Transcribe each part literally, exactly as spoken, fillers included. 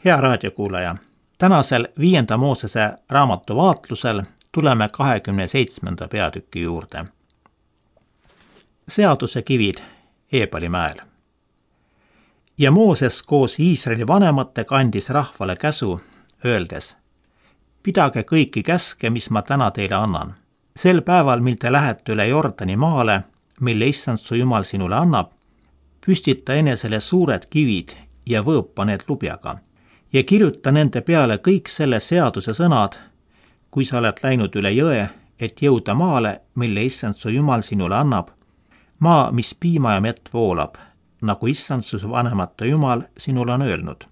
Hea raadiokuulaja, tänasel viienda Moosese raamatu vaatlusel tuleme kahekümne seitsmenda peatüki juurde. Seaduse kivid Eebalimäel. Ja Mooses koos Iisraeli vanematega andis rahvale käsu, öeldes: pidage kõiki käske, mis ma täna teile annan. Sel päeval, mil te lähete üle Jordani maale, mille issand su Jumal sinule annab, püstita enesele suured kivid ja võõpa need lubjaga ja kirjuta nende peale kõik selle seaduse sõnad, kui sa oled läinud üle jõe, et jõuda maale, mille issand su Jumal sinule annab, maa, mis piima ja mett voolab, nagu issand su vanemate Jumal sinule on öelnud.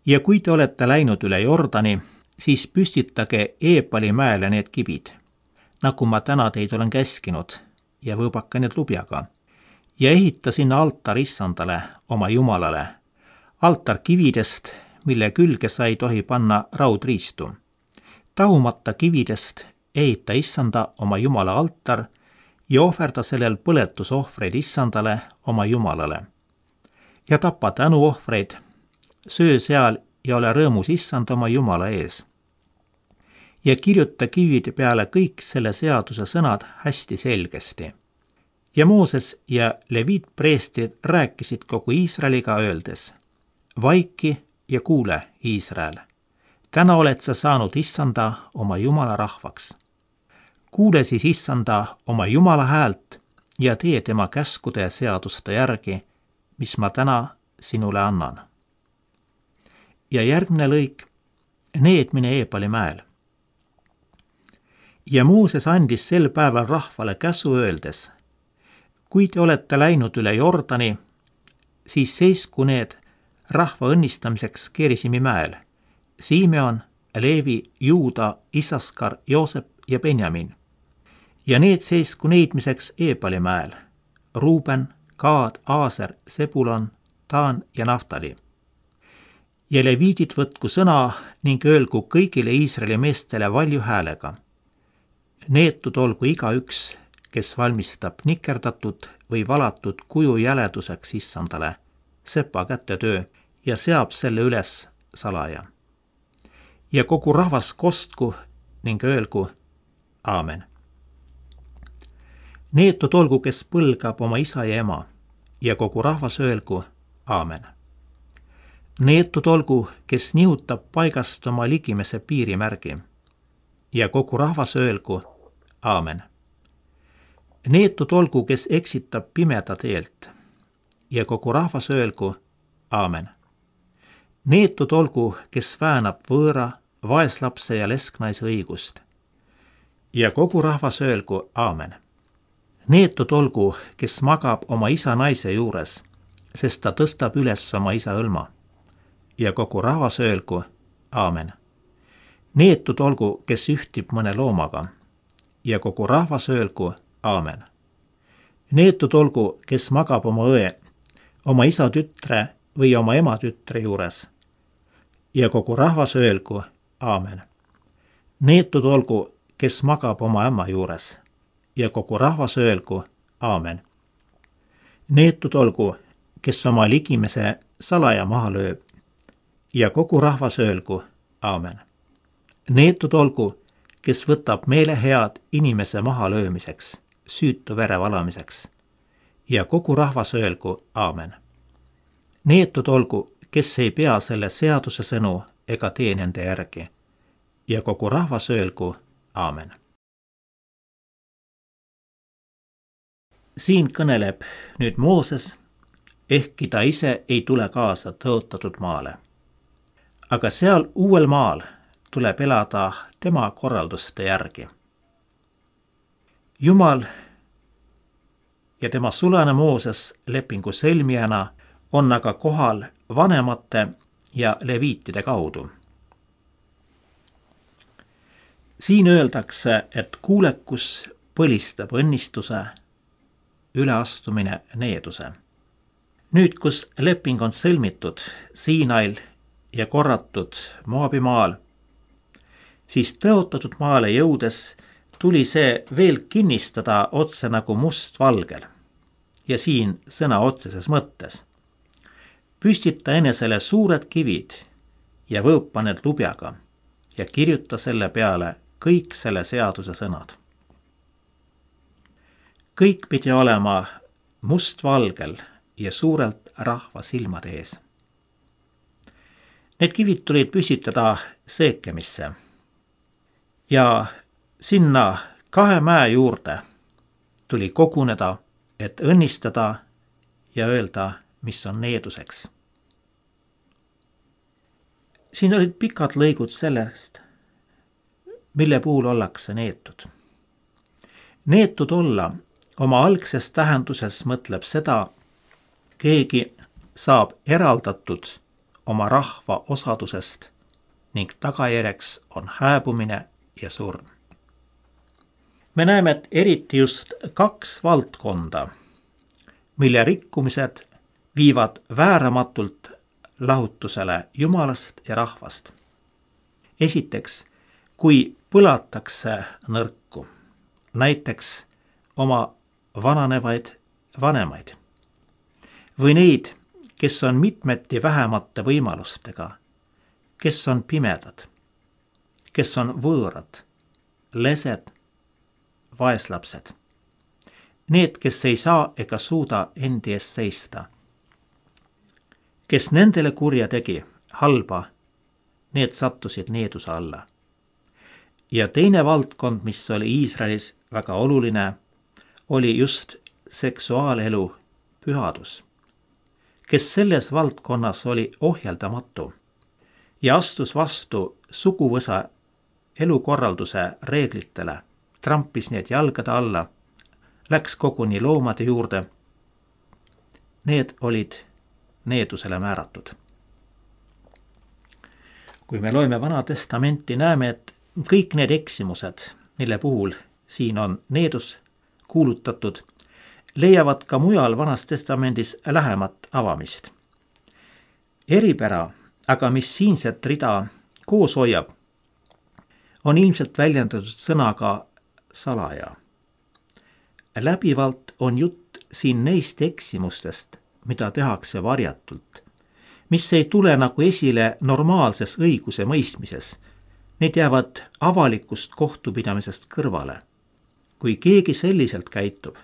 Ja kui te olete läinud üle Jordani, siis püstitage Eebalimäele need kibid, nagu ma täna teid olen käskinud, ja võõbake need lubjaga, ja ehita sinna altar issandale, oma Jumalale, altar kividest, mille külge sa ei tohi panna raudriistu. Tahumata kividest ehita issanda oma Jumala altar ja ohverda sellel põletusohvreid issandale oma Jumalale. Ja tapa tänuohvreid, söö seal ja ole rõõmus issand oma Jumala ees. Ja kirjuta kivide peale kõik selle seaduse sõnad hästi selgesti. Ja Mooses ja Leviit preestrid rääkisid kogu Iisraeliga öeldes: vaiki ja kuule, Iisrael, täna oled sa saanud issanda oma Jumala rahvaks. Kuule siis issanda oma Jumala häält ja tee tema käskude ja seaduste järgi, mis ma täna sinule annan. Ja järgmine lõik, needmine Eebalimäel. Ja Mooses andis sel päeval rahvale käsu öeldes: kui te olete läinud üle Jordani, siis seisku need rahva õnnistamiseks Gerisimi mäel, Simeon, Leevi, Juuda, Isaskar, Joosep ja Benjamin. Ja need seisku neidmiseks Eebalimäel, Ruuben, Gaad, Aaser, Sebulon, Taan ja Naftali. Ja leviidid võtku sõna ning öelgu kõigile Iisraeli meestele valju häälega: neetud olgu igaüks, kes valmistab nikerdatud või valatud kuju jäleduseks issandale, sepa kätetöö, ja seab selle üles salaja. Ja kogu rahvas kostku ning öelgu aamen. Neetud olgu, kes põlgab oma isa ja ema, ja kogu rahvas öelgu aamen. Neetud olgu, kes nihutab paigast oma ligimese piirimärgi, ja kogu rahvas öelgu aamen. Neetud olgu, kes eksitab pimeda teelt, ja kogu rahvas öelgu aamen. Neetud olgu, kes väänab võõra, vaeslapse ja lesknaise õigust, ja kogu rahvas öelgu aamen. Neetud olgu, kes magab oma isa naise juures, sest ta tõstab üles oma isa õlma, ja kogu rahvas öelgu aamen. Neetud olgu, kes ühtib mõne loomaga, ja kogu rahvas öelgu aamen. Neetud olgu, kes magab oma õe, oma isa tütre või oma ema tütre juures, ja kogu rahvas öelgu aamen. Neetud olgu, kes magab oma ämma juures, ja kogu rahvas öelgu aamen. Neetud olgu, kes oma ligimese salaja maha lööb, ja kogu rahvas öelgu aamen. Neetud olgu, kes võtab meelehead inimese maha löömiseks, süütu vere valamiseks, ja kogu rahvas öelgu aamen. Neetud olgu, kes ei pea selle seaduse sõnu ega tee nende järgi, ja kogu rahvas öelgu aamen. Siin kõneleb nüüd Mooses, ehkki ta ise ei tule kaasa tõotatud maale. Aga seal uuel maal tuleb elada tema korralduste järgi. Jumal ja tema sulane Mooses lepingu sõlmijana on aga kohal vanemate ja leviitide kaudu. Siin öeldakse, et kuulekus põlistab õnnistuse, üleastumine needuse. Nüüd, kus leping on sõlmitud Siinail ja korratud Moabimaal, siis tõotatud maale jõudes tuli see veel kinnistada otse nagu must valgel ja siin sõna otseses mõttes. püstita enesele suured kivid ja võõpa need lubjaga ja kirjuta selle peale kõik selle seaduse sõnad. Kõik pidi olema mustvalgel ja suurelt rahva silmade ees. Need kivid tulid püstitada Seekemisse ja sinna kahe mäe juurde tuli koguneda, et õnnistada ja öelda, mis on needuseks. Siin olid pikad lõigud sellest, mille puhul ollakse neetud. Neetud olla oma algses tähenduses mõtleb seda, keegi saab eraldatud oma rahva osadusest ning tagajärjeks on hääbumine ja surm. Me näeme, et eriti just kaks valdkonda, mille rikkumised viivad vääramatult lahutusele Jumalast ja rahvast. Esiteks, kui põlatakse nõrku, näiteks oma vananevaid vanemaid või neid, kes on mitmeti vähemate võimalustega, kes on pimedad, kes on võõrad, lesed, vaeslapsed. Need, kes ei saa ega suuda endi eest seista. Kes nendele kurja tegi, halba, need sattusid needuse alla. Ja teine valdkond, mis oli Iisraelis väga oluline, oli just seksuaalelu pühadus, kes selles valdkonnas oli ohjeldamatu ja astus vastu suguvõsa elukorralduse reeglitele, trampis need jalgade alla, läks koguni loomade juurde. Need olid needusele määratud. Kui me loeme Vana Testamenti, näeme, et kõik need eksimused, mille puhul siin on needus kuulutatud, leiavad ka mujal Vanas Testamendis lähemat avamist. Eripära, aga mis siinset rida koos hoiab, on ilmselt väljendatud sõnaga salaja. Läbivalt on jutt siin neist eksimustest, mida tehakse varjatult, mis ei tule nagu esile normaalses õiguse mõistmises. Need jäävad avalikust kohtupidamisest kõrvale. Kui keegi selliselt käitub,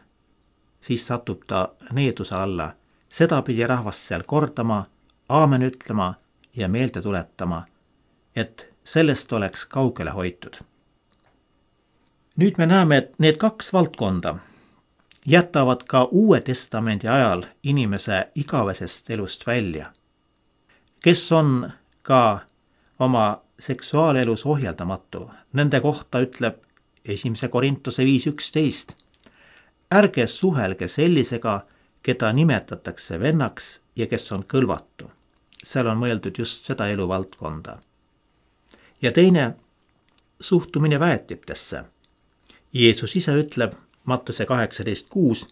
siis satub ta needuse alla. Seda pidi rahvast seal kordama, aamen ütlema ja meelde tuletama, et sellest oleks kaugele hoitud. Nüüd me näeme, et need kaks valdkonda jätavad ka Uue Testamendi ajal inimese igavesest elust välja, kes on ka oma seksuaalelus ohjeldamatu. Nende kohta ütleb esimese Korintuse viis üksteist. Ärge suhelge sellisega, keda nimetatakse vennaks ja kes on kõlvatu. Seal on mõeldud just seda eluvaldkonda. Ja teine, suhtumine väetitesse. Jeesus ise ütleb Mattuse kaheksateist kuus,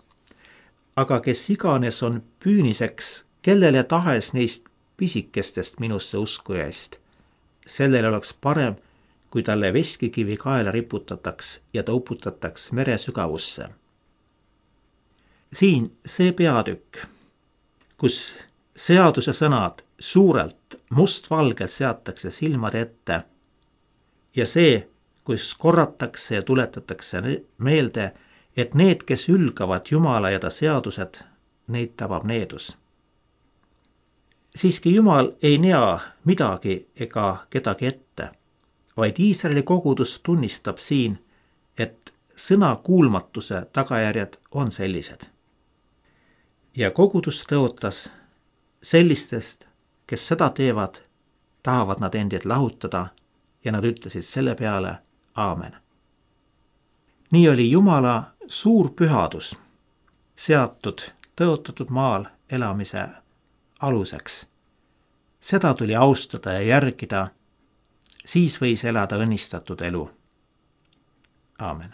aga kes iganes on püüniseks, kellele tahes neist pisikestest minusse uskujaist, sellel oleks parem, kui talle veskikivi kaela riputataks ja ta uputataks mere sügavusse. Siin see peatükk, kus seaduse sõnad suurelt mustvalgelt seatakse silmade ette ja see, kus korratakse ja tuletatakse meelde, et need, kes ülgavad Jumala ja ta seadused, neid tabab needus. Siiski Jumal ei nea midagi ega kedagi ette, vaid Iisraeli kogudus tunnistab siin, et sõna kuulmatuse tagajärjed on sellised. Ja kogudus tõotas sellistest, kes seda teevad, tahavad nad endid lahutada ja nad ütlesid selle peale aamen. Nii oli Jumala suur pühadus seatud tõotatud maal elamise aluseks. Seda tuli austada ja järgida, siis võis elada õnnistatud elu. Aamen.